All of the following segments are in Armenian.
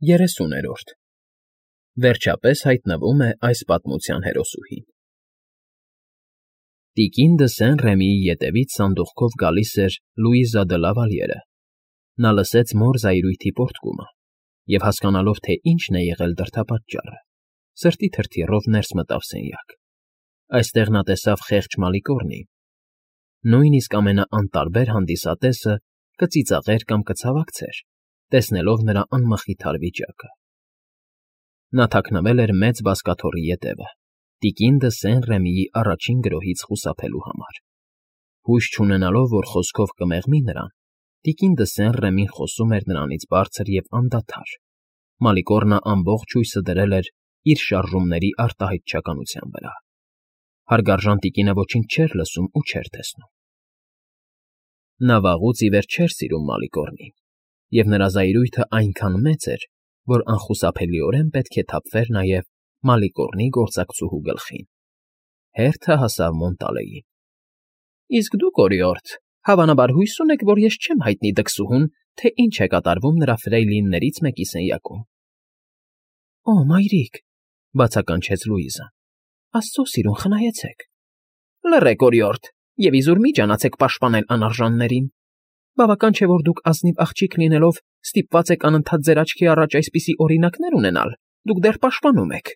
30-րդ Վերջապես հայտնվում է այս պատմության հերոսուհին։ Տիկին դը Սեն-Ռեմիի ետևից սանդուղքով գալիս էր Լուիզա դը Լավալյերը։ Նա լսեց մոր զայրույթի պոռթկումը և, հասկանալով, թե ինչն է եղել դրդապատճառը, սրտի թրթիռով ներս մտավ սենյակ։ Այստեղ նա տեսավ խեղճ Մալիկոռնին։ Նույնիսկ ամենաանտարբեր հանդիսատեսը կծիծաղեր կամ կցավակցեր, տեսնելով նրա անմխիթար վիճակը։ Նա թաքնվել էր մեծ բազկաթոռի ետևը, տիկին դը Սեն-Ռեմիի առաջին գրոհից խուսափելու համար։ Հույս չունենալով, որ խոսքով կմեղմի նրան, տիկին դը Սեն-Ռեմին խոսում էր նրանից բարձր և անդադար։ Մալիկոռնը ամբողջ հույսը դրել էր իր շարժումների արտահայտչականության վրա։ Հարգարժան տիկինը ոչինչ չէր լսում ու չէր տեսնում։ Նա վաղուց ի վեր չէր սիրում Մալիկոռնին, և նրա զայրույթը այնքան մեծ էր, որ անխուսափելիորեն պետք է թափվեր նաև Մալիկոռնի գործակցուհու գլխին։ Հերթը հասավ Մոնտալեին։ ֊ Իսկ դուք, օրիորդ, հավանաբար հույս ունեք, որ ես չեմ հայտնի դքսուհուն, թե ինչ է կատարվում նրա ֆրեյլիններից մեկի սենյակում։ ֊ Օ, մայրիկ,֊ բացականչեց Լուիզան,֊ աստծո սիրուն, խնայեցեք։ ֊ Լռեք, օրիորդ, և իզուր մի ջանացեք պաշտպանել անարժաններին։ Բավական չէ, որ դուք ազնիվ աղջիկ լինելով ստիպված եք անընդհատ ձեր աչքի առաջ այսպիսի օրինակներ ունենալ, դուք դեռ պաշտպանում եք։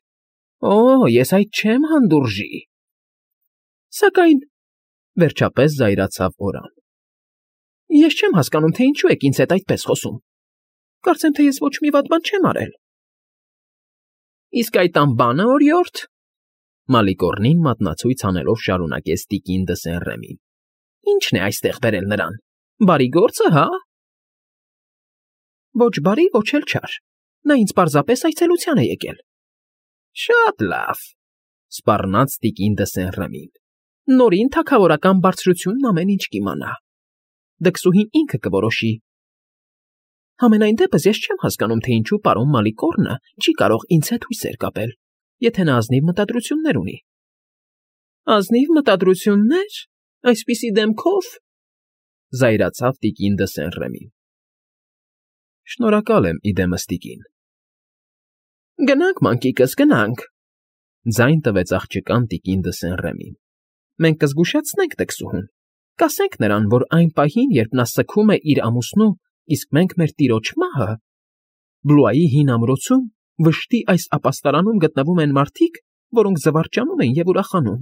Օ, ես այդ չեմ հանդուրժի։ Սակայն, վերջապես զայրացավ Օրան, ես չեմ հասկանում, թե ինչու եք ինձ հետ այդպես խոսում։ Կարծեմ, թե ես ոչ մի վատ բան չեմ արել։ Իսկ այդ անբանը, օրիորդ, Մալիկոռնին մատնացույց անելով շարունակեց տիկին դը Սեն-Ռեմին, ինչն է այստեղ բերել նրան, բարի գործը, հա։ Ոչ բարի, ոչ էլ չար, նա ինձ պարզապես այցելության է եկել։ Շատ լավ, սպառնաց տիկին դը Սեն-Ռեմին, նորին թագավորական բարձրությունն ամեն ինչ կիմանա։ Դքսուհին ինքը կորոշի։ Համենայն դեպս ես չեմ հասկանում, թե ինչու պարոն Մալիկոռնը չի կարող ինձ հետ հույսեր կապել, եթե նա ազնիվ մտադրություններ ունի։ Ազնիվ մտադրություննե՞ր, այսպիսի դեմքով, զայրացավ տիկին դը Սեն-Ռեմին։ Շնորհակալ եմ, իդեմս տիկին։ Գնանք, մանկիկս, գնանք, ձայն տվեց աղջկան տիկին դը Սեն-Ռեմին։ Մենք կզգուշացնենք դքսուհուն, կասենք նրան, որ այն պահին, երբ նա սգում է իր ամուսնու, իսկ մենք մեր տիրոջ մահը, Բլուայի հին ամրոցում, վշտի այս ապաստարանում գտնվում են մարդիկ, որոնք զվարճանում են և ուրախանում։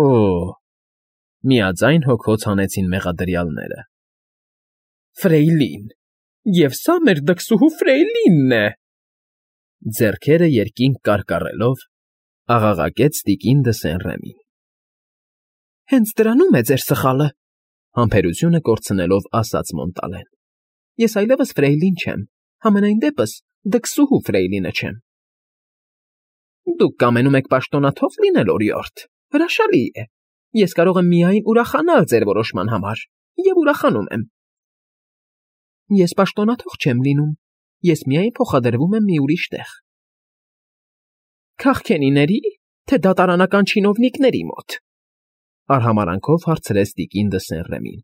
Օ՜, միաձայն հոգոց հանեցին մեղադրյալները։ Ֆրեյլին, և սա մեր դքսուհու Ֆրեյլինն է։ Ձեռքերը երկինք կարկառելով, աղաղակեց տիկին դը Սեն-Ռեմին։ Հենց դրանում է ձեր սխալը, համբերությունը կորցնելով ասաց Մոնտալեն։ Ես այլևս Ֆրեյլին չեմ, համենայն դեպս դքսուհու Ֆրեյլինը չեմ։ Դուք կամենում եք պաշտոնաթող լինել, օրիորդ, հրաշալի է։ Ես կարող եմ միայն ուրախանալ ձեր որոշման համար, և ուրախանում եմ։ Ես պաշտոնաթող չեմ լինում, ես միայն փոխադրվում եմ մի ուրիշ տեղ։ Քաղքենիների, թե դատարանական չինովնիկների մոտ, արհամարանքով հարցրեց տիկին դը Սեն-Ռեմին։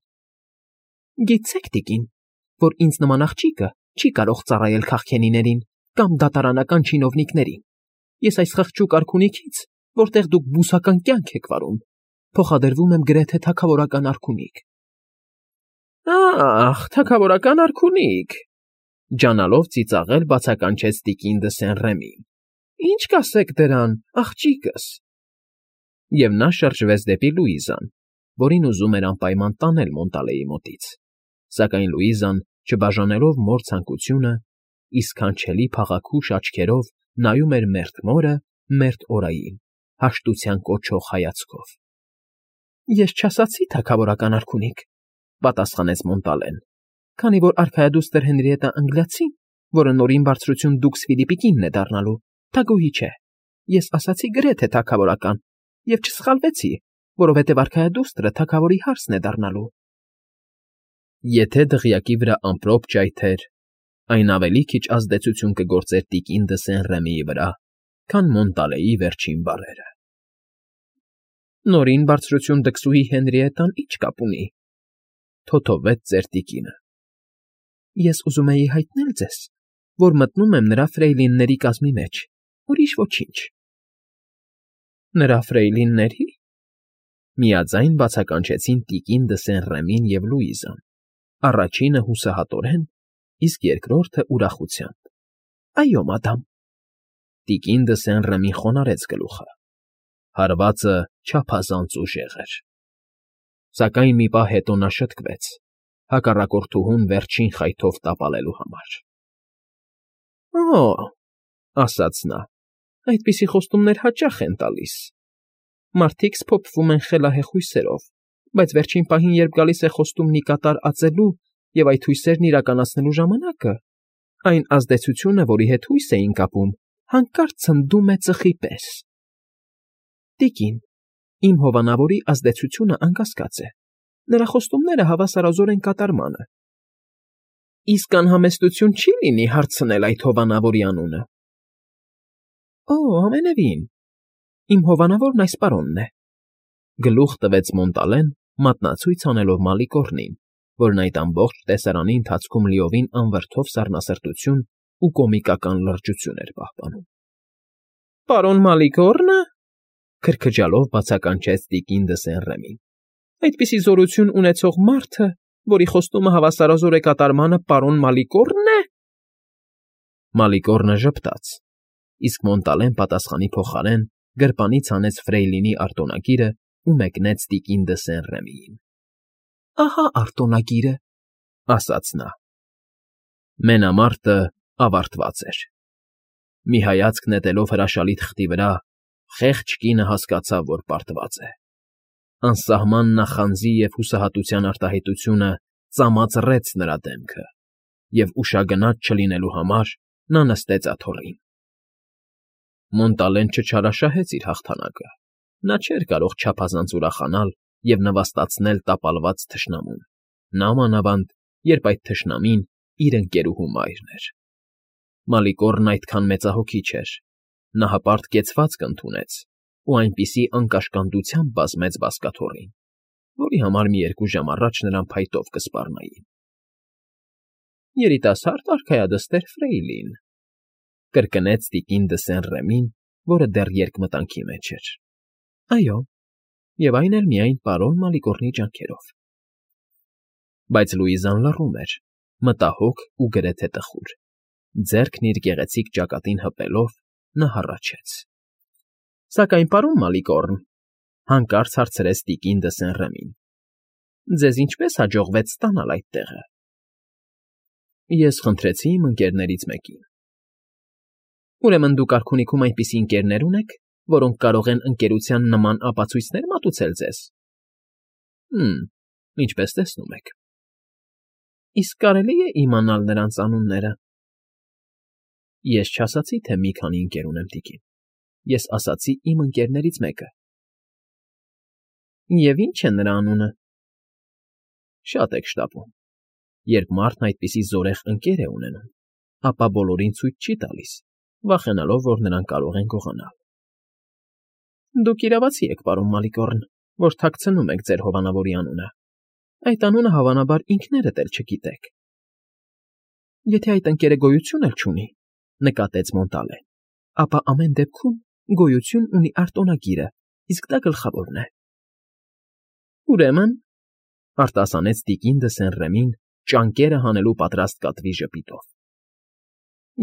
Գիտեք, տիկին, որ ինձ նման աղջիկը չի կարող ծառայել քաղքենիներին կամ դատարանական չինովնիկներին։ Ես այս խղճուկ արքունիքից, որտեղ դուք բուսական կյանք եք վարում, փոխադրվում եմ գրեթե թագավորական արքունիք։ Ահ, թագավորական արքունիք, ջանալով ծիծաղել բացականչեց տիկին դը Սեն-Ռեմին։ Ինչ կասեք դրան, աղջիկս։ Եվ նա շրջվեց դեպի Լուիզան, որին ուզում էր անպայման տանել Մոնտալեի մոտից, սակայն Լուիզան, չբաժանելով մոր ցանկությունը, իսքանչելի փաղաքուշ աչքերով նայում էր մերթ մորը, մերթ Օրային, հաշտության կոչող հայացքով։ Ես չասացի թագավորական արքունիք, պատասխանեց Մոնտալեն, քանի որ արքայադուստր Հենրիետտա Անգլիացին, որը նորին բարձրություն դուքս Ֆիլիպի կինն է դառնալու, թագուհի չէ։ Ես ասացի գրեթե թագավորական, և չսխալվեցի, որովհետև արքայադուստրը թագավորի հարսն է դառնալու։ Եթե դղյակի վրա ամպրոպ ճայթեր, այն ավելի քիչ ազդեցություն կգործեր տիկին դը Սեն-Ռեմիի վրա, քան Մոնտալեի վերջին բառերը։ Նորին բարձրություն դքսուհի Հենրիետտան ինչ կապ ունի, թոթովեց ծեր տիկինը։ Ես ուզում էի հայտնել ձեզ, որ մտնում եմ նրա ֆրեյլինների կազմի մեջ, ուրիշ ոչինչ։ Նրա ֆրեյլինների՞։ Միաձայն բացականչեցին տիկին դը Սեն֊Ռեմին և Լուիզան, առաջինը հուսահատորեն, իսկ երկրորդը ուրախությամբ։ Այո, մադամ։ Տիկին դը Սեն֊Ռեմին խոնարհեց գլուխը։ Հարվածը չափազանց ուժեղ էր։ Սակայն մի պահ հետո նա շտկվեց, հակառակորդուհուն վերջին խայթով տապալելու համար։ Օ՜, ասաց նա, այդպիսի խոստումներ հաճախ են տալիս։ Մարդիկ սփոփվում են խելահեղ հույսերով, բայց վերջին պահին, երբ գալիս է խոստումն ի կատար ածելու և այդ հույսերն իրականացնելու ժամանակը, այն ազդեցությունը, որի հետ հույս էին կապում, հանկարծ ցնդում է ծխի պես։ Տիկին, իմ հովանավորի ազդեցությունը անկասկած է, նրա խոստումները հավասարազոր են կատարմանը։ Իսկ անհամեստություն չի՞ լինի հարցնել այդ հովանավորի անունը։ Օ, ամենևին, իմ հովանավորն այս պարոնն է։ Գլուխ տվեց Մոնտալեն, մատնացույց անելով Մալիկոռնին, որն այդ ամբողջ տեսարանի ընթացքում լիովին անվրդով սառնասրտություն ու կոմիկական լրջություն էր պահպանում։ Պարոն Մալիկոռնը,֊ քրքջալով բացականչեց տիկին դը Սեն֊Ռեմին,֊ այդպիսի զորություն ունեցող մարդը, որի խոստումը հավասարազոր է կատարմանը, պարոն Մալիկոռն է։ Մալիկոռնը ժպտաց, իսկ Մոնտալեն պատասխանի փոխարեն գրպանից հանեց Ֆրեյլինի արտոնագիրը ու մեկնեց տիկին դը Սեն֊Ռեմիին։ Ահա արտոնագիրը, ասաց նա։ Մենամարտը ավարտված էր։ Մի հայացք նետելով հրաշալի թղթի վրա, խեղճ կինը հասկացավ, որ պարտված է։ Անսահման նախանձի և հուսահատության արտահայտությունը ծամածռեց նրա դեմքը, և ուշագնաց չլինելու համար նա նստեց աթոռին։ Մոնտալեն չչարաշահեց իր հաղթանակը։ Նա չէր կարող չափազանց ուրախանալ և նվաստացնել տապալված թշնամուն, նամանավանդ, երբ այդ թշնամին իր ընկերուհու մայրն էր։ Մալիկոռն այդքան մեծահոգի չէր, նա հպարտ կեցվածք ընդունեց ու այնպիսի անկաշկանդությամբ բազմեց բազկաթոռին, որի համար մի 2 ժամ առաջ նրան փայտով կսպառնային։ Երիտասարդ արքայադստեր Ֆրեյլին,֊ կրկնեց տիկին դը Սեն֊Ռեմին, որը դեռ երկմտանքի մեջ էր։ Այո, և այն էլ միայն պարոն Մալիկոռնի ջանքերով։ Բայց Լուիզան լռում էր, մտահոգ ու գրեթե տխուր։ Ձեռքն իր գեղեցիկ ճակատին հպելով՝ նա հառաչեց։ Սակայն, պարոն Մալիկոռն,֊ հանկարծ հարցրեց տիկին դը Սեն֊Ռեմին,֊ ձեզ ինչպե՞ս հաջողվեց ստանալ այդ տեղը։ Ես խնդրեցի իմ ընկերներից մեկին։ Ուրեմն դուք արքունիքում այնպիսի ընկերներ ունեք, որոնք կարող են ընկերության նման ապացույցներ մատուցել ձեզ։ Ինչպես տեսնում եք։ Իսկ կարելի է իմանալ նրանց անունները։ Ես չասացի, թե մի քանի ընկեր ունեմ, տիկին։ Ես ասացի իմ ընկերներից մեկը։ Եվ ի՞նչ է նրա անունը։ Շատ եք շտապում։ Երբ մարդն այդպիսի զորեղ ընկեր է ունենում, ապա բոլորին ցույց չի տալիս, վախենալով, որ նրան կարող են գողանալ։ Դուք իրավացի եք, պարոն Մալիկոռն, որ թաքցնում եք ձեր հովանավորի անունը։ Այդ անունը, հավանաբար, ինքներդ էլ չգիտեք։ Եթե այդ ընկերը գոյություն էլ չունի, նկատեց Մոնտալեն, ապա ամեն դեպքում գոյություն ունի արտոնագիրը, իսկ դա գլխավորն է։ Ուրեմն,֊ արտասանեց տիկին դը Սեն֊Ռեմին, ճանկերը հանելու պատրաստ կատվի ժպիտով,֊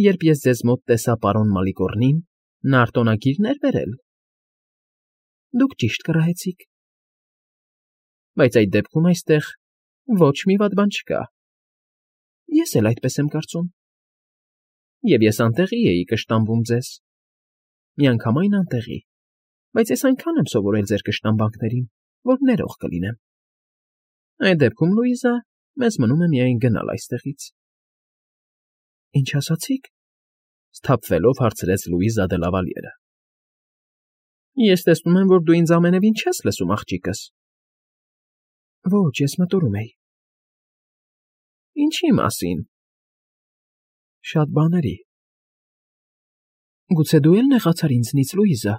երբ ես ձեզ մոտ տեսա պարոն Մալիկոռնին, նա արտոնագիրն էր բերել։ Դուք ճիշտ կռահեցիք։ Բայց այդ դեպքում այստեղ ոչ մի վատ բան չկա։ Ես էլ այդպես եմ կարծում։ Եվ ես անտեղի էի կշտամբում ձեզ։ Միանգամայն անտեղի, բայց ես այնքան եմ սովորել ձեր կշտամբանքներին, որ ներող կլինեմ։ Այդ դեպքում, Լուիզա, մեզ մնում է միայն գնալ այստեղից։ Ինչ ասացիք,֊ սթափվելով հարցրեց Լուիզա դը Լավալիերը։ Ես տեսնում եմ, որ դու ինձ ամենևին չես լսում, աղջիկս։ Ոչ, ես մտորում էի։ Ինչի՞ մասին։ Շատ բաների։ Գուցե դու էլ նեղացար ինձնից, Լուիզա։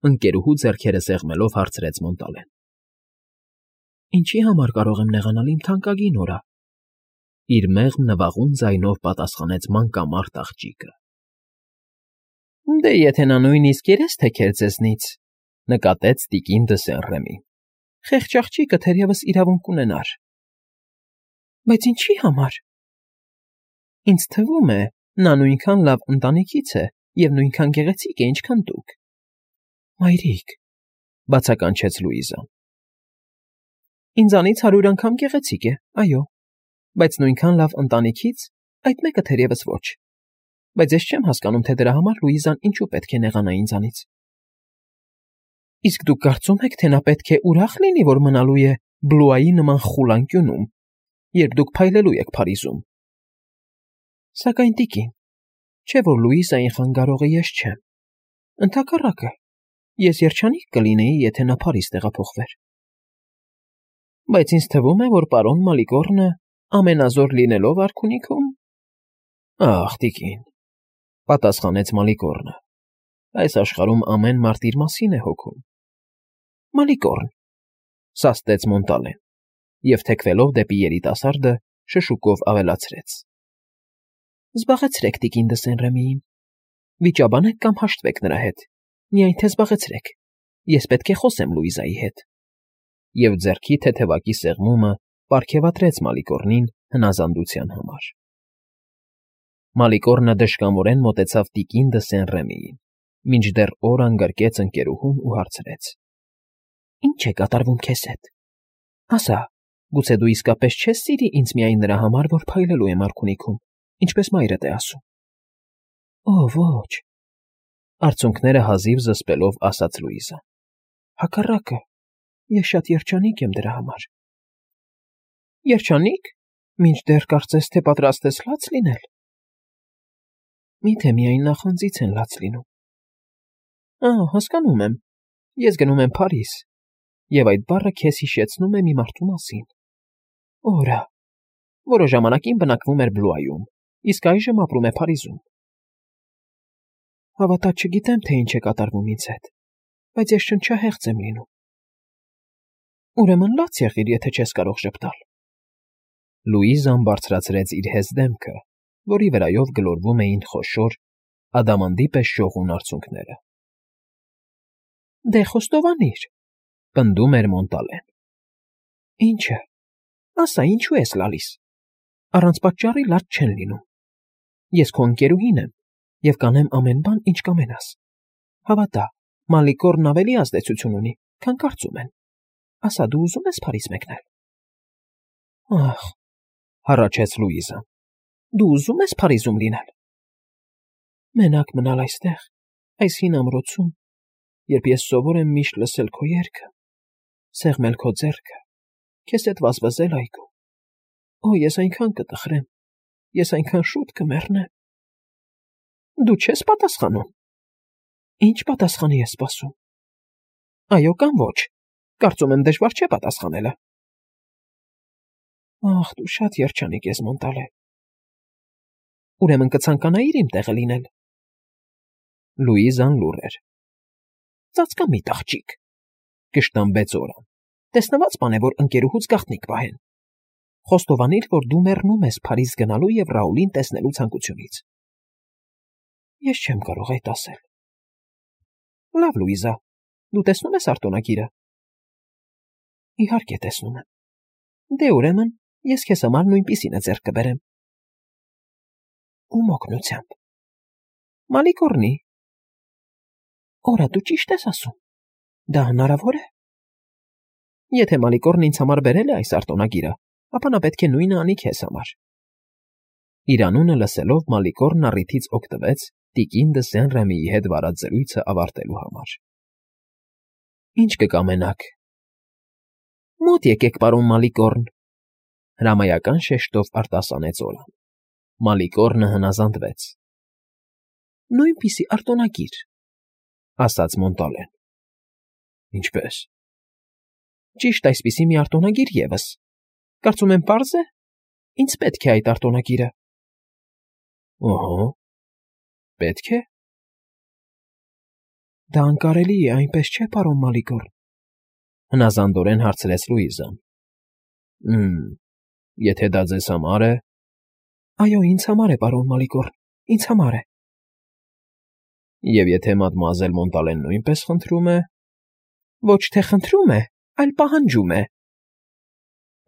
Ընկերուհու ձեռքերը սեղմելով հարցրեց Մոնտալեն։ Ինչի համար կարող եմ նեղանալ, իմ թանկագին օրա։ իր մեղմ նվաղուն ձայնով պատասխանեց մանկամարտ աղջիկը։ Դե եթե նա նույնիսկ երես թեքեր ձեզնից, նկատեց տիկին Դսեն-Ռեմին, խեղճ աղջիկը թերևս իրավունք ունենար։ Բայց ինչի համար։ Ինձ թվում է, նա նույնքան լավ ընտանիքից է և նույնքան գեղեցիկ է, ինչքան դուք։ Մայրիկ, բացականչեց Լուիզան։ Ինձանից 100 անգամ գեղեցիկ է, այո, բայց նույնքան լավ ընտանիքից այդ մեկը թերևս ոչ։ Բայց ես չեմ հասկանում, թե դրա համար Լուիզան ինչու պետք է նեղանա ինձանից։ Իսկ դուք կարծում եք, թե նա պետք է ուրախ լինի, որ մնալու է Բլուայի նման խուլ անկյունում, երբ դուք փայլելու եք Փարիզում։ Սակայն տիկին, չէ՞ որ Լուիզային խանգարողը ես չեմ։ Ընդհակառակը, ես երջանիկ կլինեի, եթե նա Փարիզ տեղափոխվեր։ Բայց ինձ թվում է, որ պարոն Մալիկորնը ամենազոր լինելով արքունիքում… Ախ, տիկին, պատասխանեց Մալիկորնը, այս աշխարհում ամեն մարդ իր մասին է հոգում։ Մալիկորն, սաստեց Մոնտալեն և թեքվելով դեպի երիտասարդը շշուկով ավելացրեց. Զբաղեցրեք տիկին Դսեն-Ռեմիին, վիճաբանեք կամ հաշտվեք նրա հետ, միայն թե զբաղեցրեք, ես պետք է խոսեմ Լուիզայի հետ։ Եվ ձեռքի թեթևակի սեղմումը պարգևատրեց Մալիկորնին հնազանդության համար։ Մալիկորնը դժկամորեն մոտեցավ տիկին Դսեն-Ռեմիին, մինչդեռ օր անգրկեց ընկերուհուն ու հարցրեց. Ինչ է կատարվում քեզ հետ։ Ասա, գուցե դու իսկապես չես սիրի ինձ միայն նրա համար, որ փայլելու եմ արքունիքում, ինչպես մայրդ է ասում։ Ոչ, արցունքները հազիվ զսպելով ասաց Լուիզան։ Հակառակը, ես շատ երջանիկ եմ դրա համար։ Երջանիկ, մինչդեռ կարծես թե պատրաստ ես լաց լինել։ Միթե միայն նախանձից են լաց լինում։ Հասկանում եմ, ես գնում եմ Փարիզ, և այդ բառը քեզ հիշեցնում է մի մարդու մասին։ Օրա, որը ժամանակին բնակվում էր Բլուայում, իսկ այժմ ապրում է Փարիզում։ Հավատա չգիտեմ, թե ինչ է կատարվում ինձ հետ, բայց ես շնչահեղձ եմ լինում։ Ուրեմն լաց եղիր, եթե չես կարող ժպտալ։ Լուիզան բարձրացրեց իր հեզ դեմքը, որի վրայով գլորվում էին խոշոր, ադամանդի պես շողուն արցունքները։ Դե խոստովանիր, պնդում էր Մոնտալեն։ Ինչը, ասա, ինչու ես լալիս։ Առանց պատճառի լաց չեն լինում։ Ես քո ընկերուհին եմ և կանեմ ամեն բան, ինչ կամենաս։ Հավատա, Մալիկորն ավելի ազդեցություն ունի, քան կարծում են։ Ասա, դու ուզում ես Փարիզ մեկնել։ Ախ, հառաչեց Լուիզան, դու ուզում ես Փարիզում լինել։ Մենակ մնալ այստեղ, այս հին ամրոցում, երբ ես սովոր եմ միշտ լսել քո երգը, սեղմել քո ձեռքը, քեզ հետ վազվզել այգում։ Ես այնքան կտխրեմ, ես այնքան շուտ կմեռնեմ։ Դու չես պատասխանում։ Ինչ պատասխանի ես սպասում։ Այո կամ ոչ, կարծում եմ դժվար չէ պատասխանելը։ Ախ, դու շատ երջանիկ ես, Մոնտալե։ Ուրեմն կցանկանայիր իմ տեղը լինել։ Լուիզան լուռ էր։ Ծածկամիտ աղջիկ, կշտամբեց Օրան, տեսնված բան է, որ ընկերուհուց գաղտնիք պահեն։ Խոստովանիր, որ դու մեռնում ես Փարիզ գնալու և Ռաուլին տեսնելու ցանկությունից։ Ես չեմ կարող այդ ասել։ Լավ, Լուիզա, դու տեսնում ես արտոնագիրը։ Իհարկե տեսնում եմ։ Դե ուրեմն, ես քեզ համար նույնպիսինը ձեռք կբերեմ։ Ում օգնությամբ։ Մալիկորնի։ Օրա, դու ճիշտ ես ասում։ Դա հնարավոր է։ Եթե Մալիկորնն ինձ համար բերել է այս արտոնագիրը, ապա նա պետք է նույնը անի քեզ համար։ Իր անունը լսելով Մալիկորնն առիթից օգտվեց տիկին Դսեն-Ռեմիի հետ վարած զրույցը ավարտելու համար։ Ինչ կկամենաք։ Մոտ եկեք, պարոն Մալիկորն, հրամայական շեշտով արտասանեց Օրան։ Մալիկորնը հնազանդվեց։ Նույնպիսի արտոնագիր, ասաց Մոնտալեն։ Ինչպես։ Ճիշտ այսպիսի մի արտոնագիր ևս։ Կարծում եմ պարզ է։ Ինձ պետք է այդ արտոնագիրը։ Ահա, պետք է։ Դա անկարելի է, այնպես չէ, պարոն Մալիկորն։ Հնազանդորեն հարցրեց Լուիզան։ Եթե դա ձեզ համար է, Այո, ինձ համար է, պարոն Մալիկորն, ինձ համար է։ Եվ եթե մադմուազել Մոնտալեն նույնպես խնդրում է… Ոչ թե խնդրում է, այլ պահանջում է։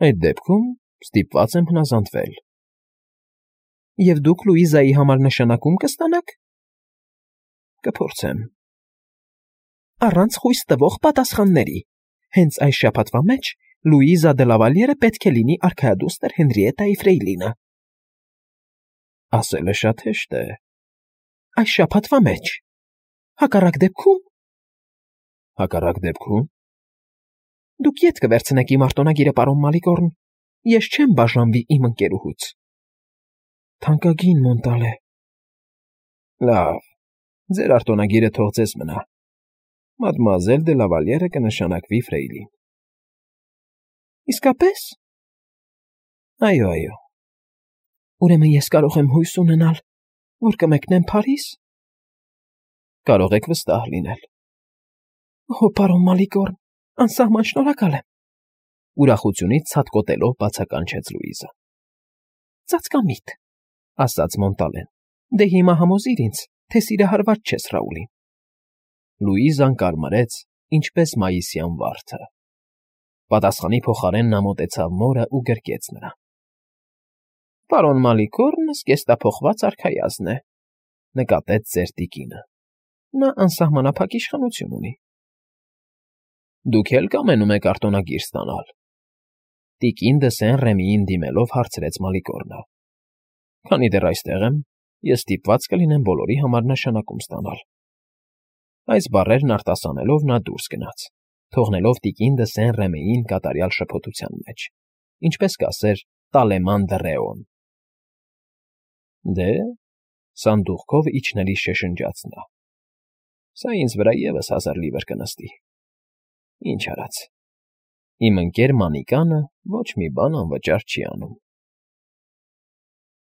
Այդ դեպքում ստիպված եմ հնազանդվել։ Եվ դուք Լուիզայի համար նշանակում կստանաք։ Կփորձեմ։ Առանց խույս տվող պատասխանների։ Հենց այս շաբաթվա մեջ Լուիզա դե Լավալիերը պետք է լինի արքայադուստր Հենրիետայի ֆրեյլինը։ Ասելը շատ հեշտ է։ Այս շաբաթվա մեջ։ Հակառակ դեպքում… Հակառակ դեպքում… Դուք ետ կվերցնեք իմ արտոնագիրը, պարոն Մալիկորն, ես չեմ բաժանվի իմ ընկերուհուց։ Թանկագին Մոնտալե… Լավ, ձեր արտոնագիրը թող ձեզ մնա։ Մադմուազել դե Լավալիերը կնշանակվի ֆրեյլին։ Իսկապես… Այո։ Ուրեմն ես կարող եմ հույս ունենալ, որ կմեկնեմ Փարիզ։ Կարող եք վստահ լինել։ Օ, պարոն Մալիկորն, անսահման շնորհակալ եմ։ Ուրախությունից ցատկոտելով բացականչեց Լուիզա։ Ծածկամիտ, ասաց Մոնտալեն։ Դե հիմա համոզիր ինձ, թե սիրահարված չես Ռաուլին։ Լուիզան կարմարեց, ինչպես մայիսյան վարդը։ Պատասխանի փոխարեն նա մոտեցավ մորը ու գրկեց նրան։ Պարոն Մալիկորնը զգեստափոխված արքայազն է, նկատեց ծեր տիկինը։ Նա անսահմանափակ իշխանություն ունի։ Դուք էլ կամենում եք արտոնագիր ստանալ։ Տիկին դը Սեն-Ռեմիին դիմելով հարցրեց Մալիկորնը։ Քանի դեռ այստեղ եմ, ես ստիպված կլինեմ բոլորի համար նշանակում ստանալ։ Այս բառերն արտասանելով նա դուրս գնաց, թողնելով տիկին դը Սեն-Ռեմիին կատարյալ շփոթության մեջ, ինչպես կասեր Տալեման դը Ռեոն։ Դե, սանդուղքով իջնելիս շշնջաց նա. Սա ինձ վրա ևս 1000 լիվր կնստի։ Ինչ արած։ Իմ ընկեր Մանիկանը ոչ մի բան անվճար չի անում։